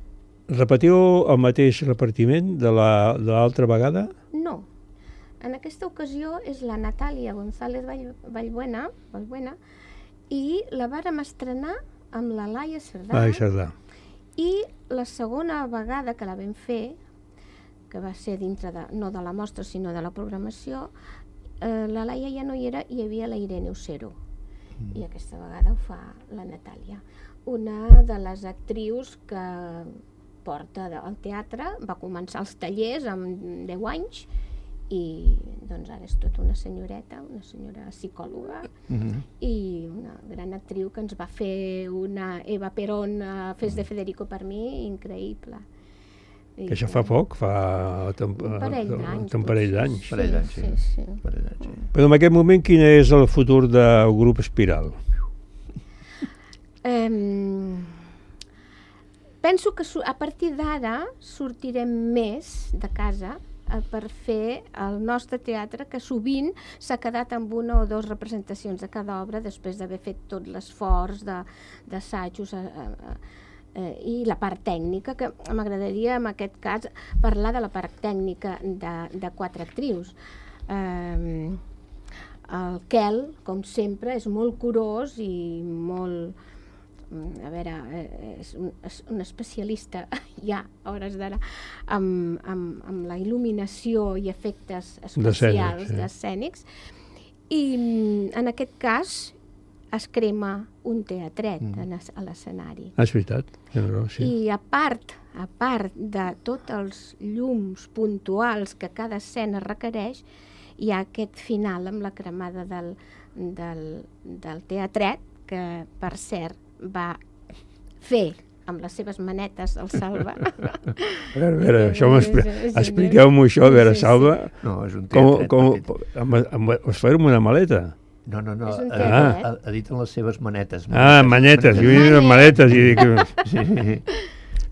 Repetiu el mateix repartiment de l'altra vegada? No. En aquesta ocasió és la Natàlia González Vall, Vallbuena, Vallbuena i la vàrem estrenar amb la Laia Cerdà. Laia Cerdà. I la segona vegada que la vam fer que va ser dintre de, no de la mostra sinó de la programació, eh, la Laia ja no hi era, hi havia la Irene Ocero, mm. i aquesta vegada ho fa la Natàlia, una de les actrius que porta al teatre, va començar els tallers amb deu anys i doncs ara és tota una senyoreta, una senyora psicòloga, mm-hmm. i una gran actriu que ens va fer una Eva Perón a Fes de Federico per mi, increïble. I que això fa poc, fa un parell d'anys. Un parell d'anys. Sí, parell d'anys, sí. sí, sí. Parell d'anys, sí. Però en aquest moment quin és el futur del grup Espiral? Um, penso que a partir d'ara sortirem més de casa per fer el nostre teatre, que sovint s'ha quedat amb una o dues representacions de cada obra després d'haver fet tot l'esforç d'assajos eh, i la part tècnica, que m'agradaria en aquest cas parlar de la part tècnica de, de quatre actrius. Eh, el Quel, com sempre, és molt curós i molt... a veure, és un, és un especialista ja a hores d'ara amb, amb, amb la il·luminació i efectes especials escènics, i en aquest cas es crema un teatret mm. a l'escenari. Ah, és veritat. Sí. I a part, a part de tots els llums puntuals que cada escena requereix, hi ha aquest final amb la cremada del, del, del teatret, que per cert va fer amb les seves manetes el Salva. A veure, a veure, això expliqueu-m'ho això, a veure, Salva. No, és un teatret com, com, amb, us farem una maleta? No, no, no, ah. ha, ha dit en les seves manetes. Ah, manetes, jo dic manetes i dic... Sí.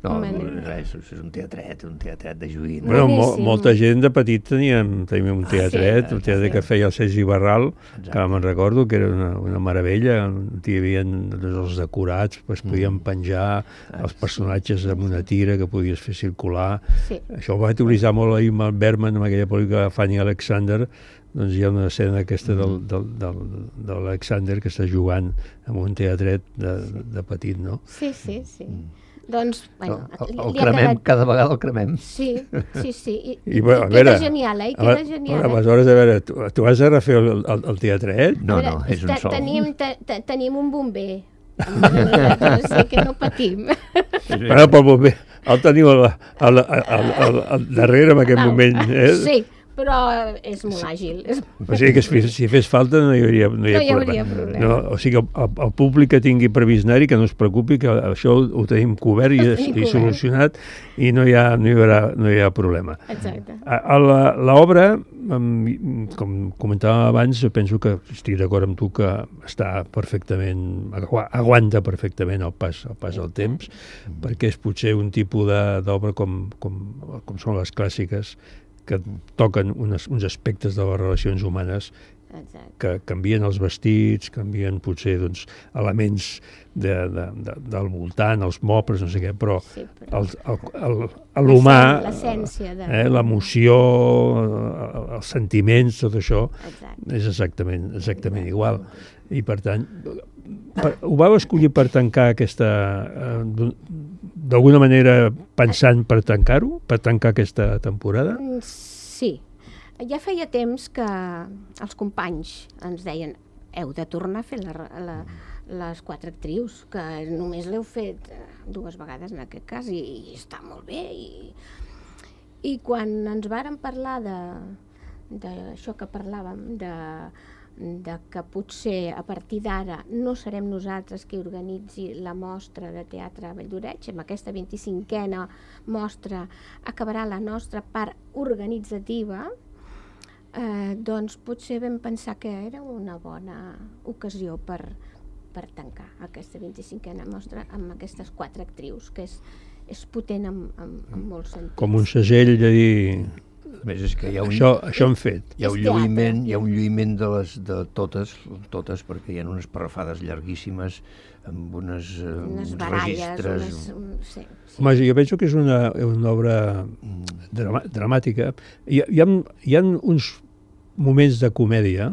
No, res, és un teatret, un teatret de joguina. Bueno, mo molta gent de petit teníem, teníem un teatret, ah, sí, un teatre sí. que feia el Sergi Barral, exacte. Que me'n recordo, que era una, una meravella, hi havia els decorats, pues, podíem penjar mm. els personatges amb una tira que podies fer circular. Sí. Això ho va utilitzar molt ahir amb el Berman, amb aquella pel·lícula Fanny Alexander. Doncs hi ha una escena aquesta del, del, del, de l'Alexander que està jugant amb un teatret de, de petit, no? Sí, sí, sí. Mm. Doncs, bueno, el, el cremem, quedat... cada vegada el cremem. Sí, sí, sí. I, I, bueno, i queda veure, genial, eh? I queda a, genial. A, aleshores, a veure, tu, tu has de refer el, el, el teatret? No, no, és un sol. Tenim, te, te, tenim un bomber. O sigui que no patim. Bueno, però el bomber el teniu al, al, al, al, al darrere en aquest Val. moment. Eh? Sí, però és molt àgil. O sigui que si fes falta no hi hauria, no hi ha no hi hauria problema. problema. No, o sigui que el, el públic que tingui previst anar-hi, que no es preocupi, que això ho tenim cobert i, i cobert. solucionat i no hi ha, no hi haurà, no hi ha problema. Exacte. L'obra, com comentàvem abans, penso que estic d'acord amb tu que està perfectament, aguanta perfectament el pas, el pas del temps, perquè és potser un tipus d'obra com, com, com són les clàssiques, que toquen unes, uns aspectes de les relacions humanes. Exacte. Que canvien els vestits, canvien potser doncs, elements de, de, de, del voltant, els mobles, no sé què, però, sí, però... l'humà, eh, l'emoció, els sentiments, tot això, exacte. és exactament, exactament igual. I per tant, per, ho vau escollir per tancar aquesta... Eh, d'alguna manera pensant per tancar-ho, per tancar aquesta temporada? Sí. Ja feia temps que els companys ens deien heu de tornar a fer la, la, les quatre actrius, que només l'heu fet dues vegades en aquest cas i, i està molt bé. I, i quan ens varen parlar d'això que parlàvem, de... de que potser a partir d'ara no serem nosaltres qui organitzi la mostra de teatre a Valldoreix, amb aquesta vint-i-cinquena mostra acabarà la nostra part organitzativa, eh, doncs potser vam pensar que era una bona ocasió per, per tancar aquesta vint-i-cinquena mostra amb aquestes quatre actrius, que és, és potent en, en, en molts sentits. Com un segell de dir... Més és que hi ha un, això, això hem fet. Hi ha un lluïment, hi ha un lluïment de, les, de totes, totes, perquè hi ha unes parrafades llarguíssimes amb unes, unes uns baralles, registres. Unes, un, sí, sí. Home, jo penso que és una, una obra drama, dramàtica. Hi, hi, ha, hi ha uns moments de comèdia,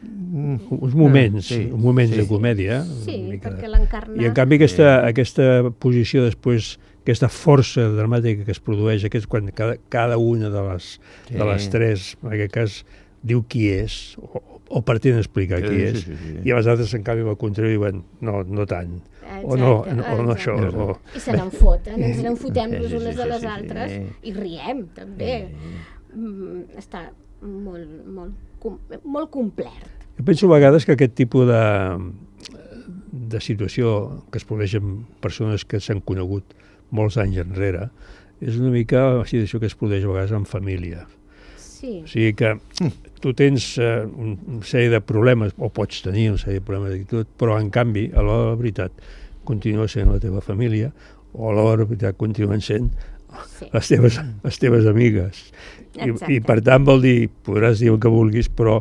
uns moments, sí, moments sí, de comèdia. Sí, perquè l'encarna... I en canvi aquesta, aquesta posició després aquesta força dramàtica que es produeix, aquest, quan cada, cada una de les, sí. de les tres, en aquest cas, diu qui és, o, o pretén explicar sí, qui és, sí, sí, sí. i a les altres, en canvi, al contrari, diuen, no, no tant, exacte, o no, no, o no això. O... I se n'en foten, ens n'en fotem les unes de les altres, i riem, també. Mm, està molt, molt, molt complet. Jo penso a vegades que aquest tipus de, de situació que es produeix amb persones que s'han conegut molts anys enrere és una mica la situació que es produeix a vegades en família. Sí. O sigui que tu tens uh, una sèrie de problemes, o pots tenir una sèrie de problemes d'actitud, però en canvi, a l'hora de la veritat, continua sent la teva família, o a l'hora de la veritat continuen sent sí. les, teves, les teves amigues. I, I per tant vol dir, podràs dir el que vulguis, però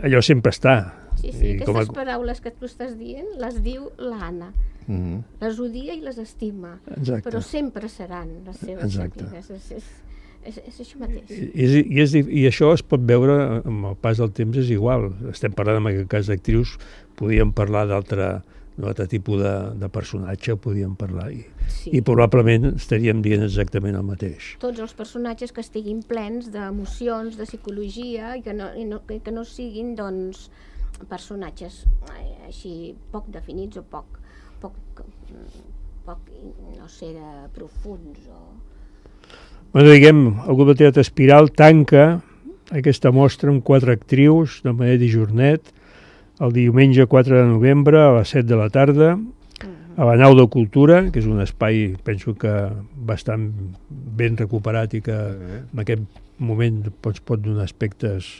allò sempre està. Sí, sí, I aquestes a... paraules que tu estàs dient les diu l'Anna. Mm-hmm. Les odia i les estima. Exacte. Però sempre seran les seves Exacte. amigues. És, és, és, és això mateix. I, i, és, I això es pot veure amb el pas del temps, és igual. Estem parlant, en aquest cas d'actrius, podíem parlar d'altre d'un altre tipus de, de personatge, podíem parlar, i, sí. i probablement estaríem dient exactament el mateix. Tots els personatges que estiguin plens d'emocions, de psicologia, i que no, i no, que no siguin, doncs, personatges així poc definits o poc, poc, poc no sé, profuns. O... Bueno, diguem, el grup de teatre Espiral tanca aquesta mostra amb quatre actrius de manera dijornet, el diumenge quatre de novembre a les set de la tarda, a la Nau de Cultura, que és un espai, penso que bastant ben recuperat i que en aquest moment es pot donar aspectes,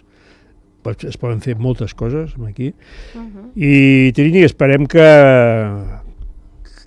es poden fer moltes coses aquí. Uh-huh. I Trini, esperem que,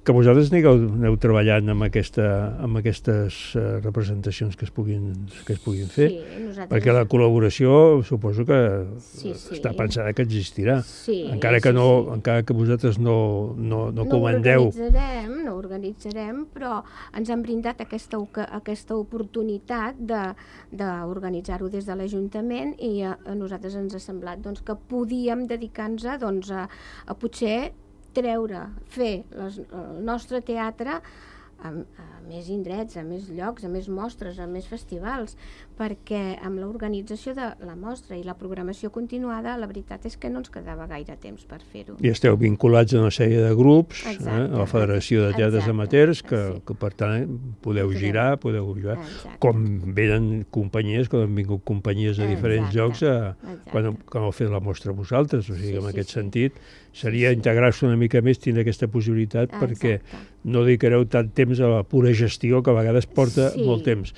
que vosaltres aneu, aneu treballant amb, aquesta, amb aquestes uh, representacions que es puguin, que es puguin fer, sí, nosaltres... perquè la col·laboració suposo que sí, sí. està pensada que existirà, sí, encara, que no, sí, sí. encara que vosaltres no, no, no, no comandeu. No organitzarem, no organitzarem, però ens han brindat aquesta, aquesta oportunitat d'organitzar-ho de, des de l'Ajuntament, i a, a nosaltres ens ha semblat doncs, que podíem dedicar-nos doncs, a, a potser treure, fer les, el nostre teatre a, a més indrets, a més llocs, a més mostres, a més festivals, perquè amb l'organització de la mostra i la programació continuada, la veritat és que no ens quedava gaire temps per fer-ho. I esteu vinculats a una sèrie de grups, exacte, eh, a la Federació de Teatres exacte, Amateurs, que, sí. que per tant podeu girar, podeu girar, exacte. Com venen companyies, com han vingut companyies de diferents exacte, llocs a, quan, quan heu fet la mostra vosaltres, o sigui, sí, en sí, aquest sí. sentit seria sí, sí. integrar-se una mica més, tindre aquesta possibilitat, exacte. Perquè no dedicareu tant temps a la pura gestió, que a vegades porta sí. molt temps.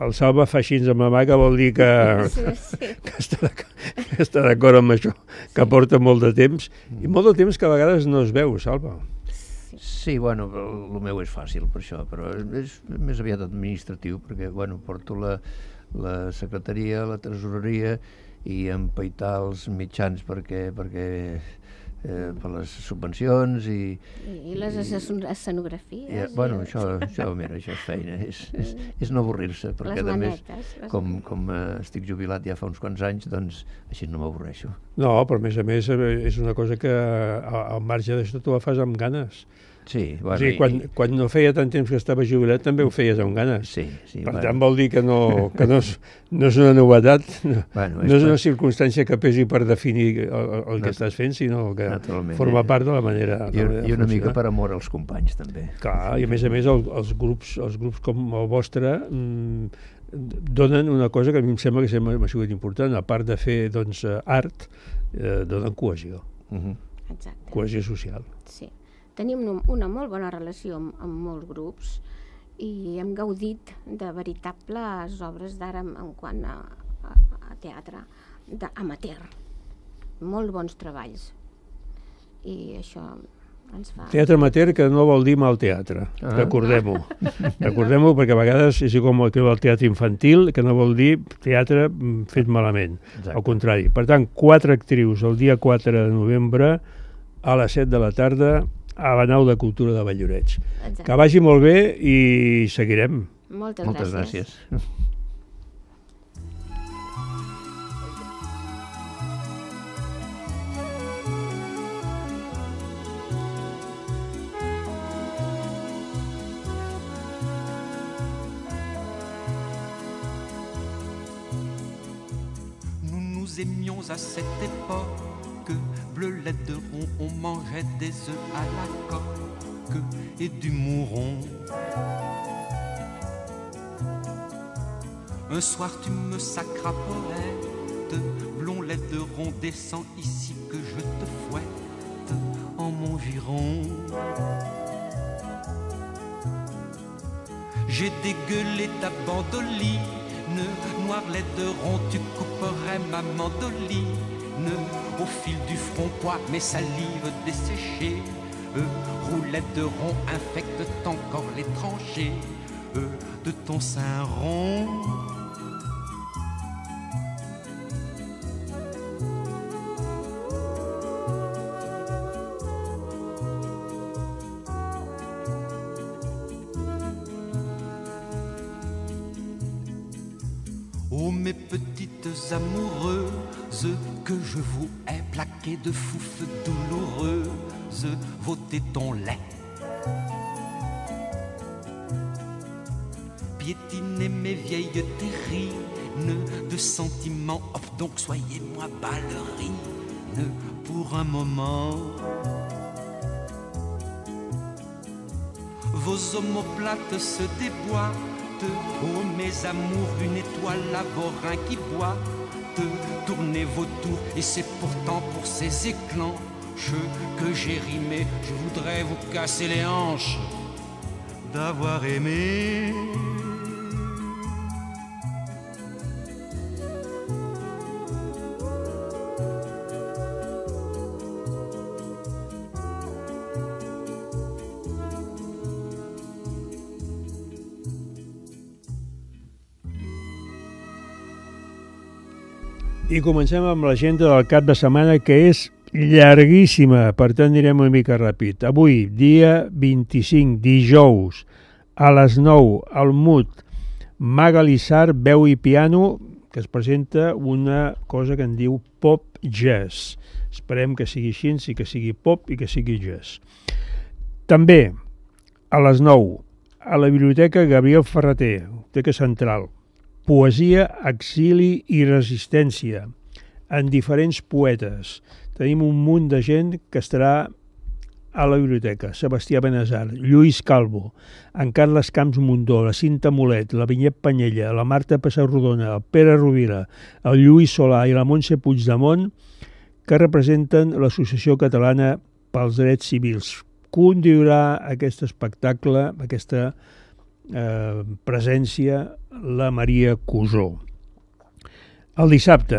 El Salva fa així amb la mà, que vol dir que, sí, sí. que està d'acord amb això, que sí. porta molt de temps, i molt de temps que a vegades no es veu, Salva. Sí, bueno, el meu és fàcil per això, però és més aviat administratiu, perquè, bueno, porto la, la secretaria, la tresoreria, i empaitar els mitjans perquè... perquè Eh, per les subvencions i... I les escenografies. I, bueno, això, això, mira, això és feina, és, és, és no avorrir-se, perquè a més, com, com eh, estic jubilat ja fa uns quants anys, doncs així no m'avorreixo. No, però a més a més és una cosa que al marge d'això tu la fas amb ganes. Sí, bueno, o sigui, quan, i... quan no feia tant temps que estava jubilat també ho feies amb ganes. Sí, sí, per bueno. tant vol dir que no, que no, és, no és una novetat, no, bueno, és, no és una circumstància que pesi per definir el, el que no, estàs fent, sinó que forma part de la manera I, de I una mica per amor als companys també. Clar, i a més a més el, els, grups, els grups com el vostre mmm, donen una cosa que a mi em sembla que sempre m'ha sigut important, a part de fer doncs, art, eh, donen cohesió. Uh-huh. Exacte. Cohesió social. Sí. Tenim una molt bona relació amb, amb molts grups i hem gaudit de veritables obres d'art en, en quant a, a, a teatre amateur. Molt bons treballs. I això ens fa... Teatre amateur que no vol dir mal teatre, ah. recordem-ho. Recordem-ho perquè a vegades és com el teatre infantil, que no vol dir teatre fet malament. Exacte. Al contrari. Per tant, quatre actrius el dia quatre de novembre a les set de la tarda a la Nau de Cultura de Valldoreix. Exacte. Que vagi molt bé i seguirem. Moltes, Moltes gràcies. gràcies. nous aimions à cette époque, bleu lait de rond, on mangeait des œufs à la coque et du mouron. Un soir tu me sacras poète, blond lait de rond, descends ici que je te fouette en mon giron. J'ai dégueulé ta bandoline, noir lait de rond, tu couperais ma mandoline. Au fil du front, poids, mes salives desséchées, euh, roulette de rond infectent encore les tranchées euh, de ton sein rond. Oh mes petites amoureuses, que je vous ai plaquées de foufes douloureuses, vos tétons lait. Piétinez mes vieilles terrines de sentiments, hop donc soyez-moi ballerine pour un moment. Vos omoplates se déboîtent, oh mes amours, une étoile à vos reins qui boite. Tournez vos tours et c'est pourtant pour ces éclanches que j'ai rimé. Je voudrais vous casser les hanches d'avoir aimé. I comencem amb l'agenda del cap de setmana, que és llarguíssima, per tant anirem una mica ràpid. Avui, dia vint-i-cinc, dijous, a les nou, al M U T, Magali Sarr, veu i piano, que es presenta una cosa que en diu pop jazz. Esperem que sigui així, i que sigui pop i que sigui jazz. També, a les nou, a la Biblioteca Gabriel Ferrater, Biblioteca Central, poesia, exili i resistència, en diferents poetes. Tenim un munt de gent que estarà a la biblioteca. Sebastià Benazar, Lluís Calvo, en Carles Camps Mundó, la Cinta Molet, la Vinyet Panyella, la Marta Pessarrodona, el Pere Rovira, el Lluís Solà i la Montse Puigdemont, que representen l'Associació Catalana pels Drets Civils. Conduirà aquest espectacle, aquesta eh, presència, la Maria Cusó. El dissabte,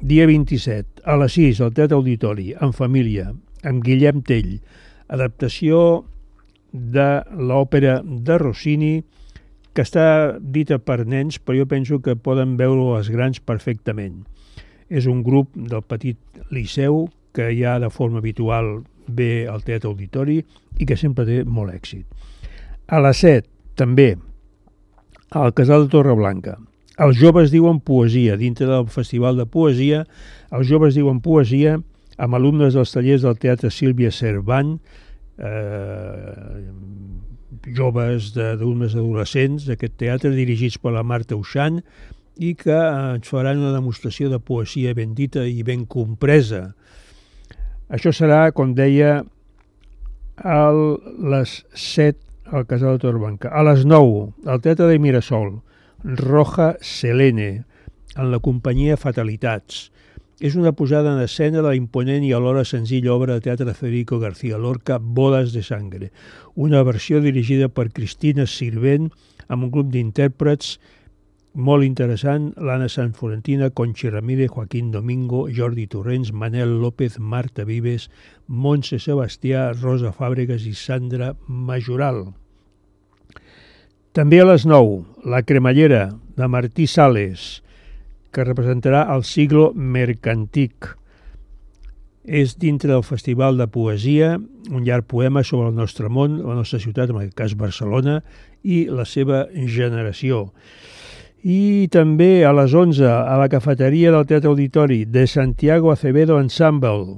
dia vint-i-set, a les sis, al Teatre Auditori, en família, amb Guillem Tell, adaptació de l'òpera de Rossini, que està dita per nens, però jo penso que poden veure els grans perfectament. És un grup del Petit Liceu que ja de forma habitual ve al Teatre Auditori i que sempre té molt èxit. A les set, també, al Casal de Torreblanca. Els joves diuen poesia. Dintre del Festival de Poesia, els joves diuen poesia amb alumnes dels tallers del Teatre Sílvia Cervant, eh, joves d'alumnes adolescents d'aquest teatre dirigits per la Marta Uixant i que ens faran una demostració de poesia ben dita i ben compresa. Això serà, com deia, a les set al Casal de Torreblanca. A les nou, al Teatre de Mirasol, Roja Selene, en la companyia Fatalitats. És una posada en escena de la imponent i alhora senzilla obra de teatre de Federico García Lorca, Bodas de Sangre, una versió dirigida per Cristina Sirvent amb un grup d'intèrprets molt interessant, l'Anna Sant Florentina, Conchi Ramírez, Joaquín Domingo, Jordi Torrents, Manel López, Marta Vives, Montse Sebastià, Rosa Fàbregas i Sandra Majoral. També a les nou, La cremallera, de Martí Sales, que representarà el siglo mercantic. És dintre del Festival de Poesia, un llarg poema sobre el nostre món, la nostra ciutat, en aquest cas Barcelona, i la seva generació. I també a les onze, a la cafeteria del Teatre Auditori, de Santiago Acevedo Ensemble,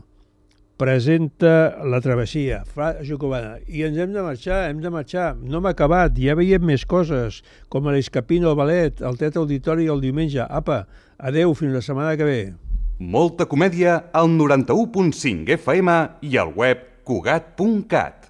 presenta La travessia, Fra Jacobana. I ens hem de marxar, hem de marxar. No hem acabat, ja veiem més coses, com l'Escapino, el ballet, el Teatre Auditori el diumenge. Apa, adeu, fins la setmana que ve. Molta comèdia al noranta-u punt cinc F M i al web cugat punt cat.